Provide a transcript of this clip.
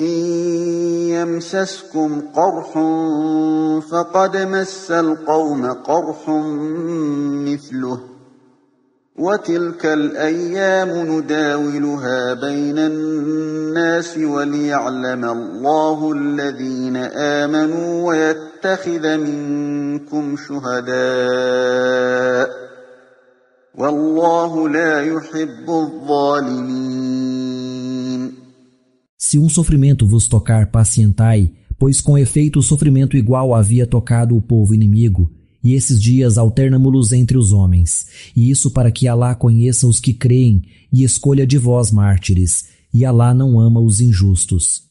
إن يمسسكم قرح فقد مس القوم قرح مثله وتلك الأيام نداولها بين الناس وليعلم الله الذين آمنوا ويتخذ منكم شهداء والله لا يحب الظالمين. Se um sofrimento vos tocar, pacientai, pois com efeito o sofrimento igual havia tocado o povo inimigo, e esses dias alternamo-los entre os homens, e isso para que Alá conheça os que creem e escolha de vós mártires, e Alá não ama os injustos.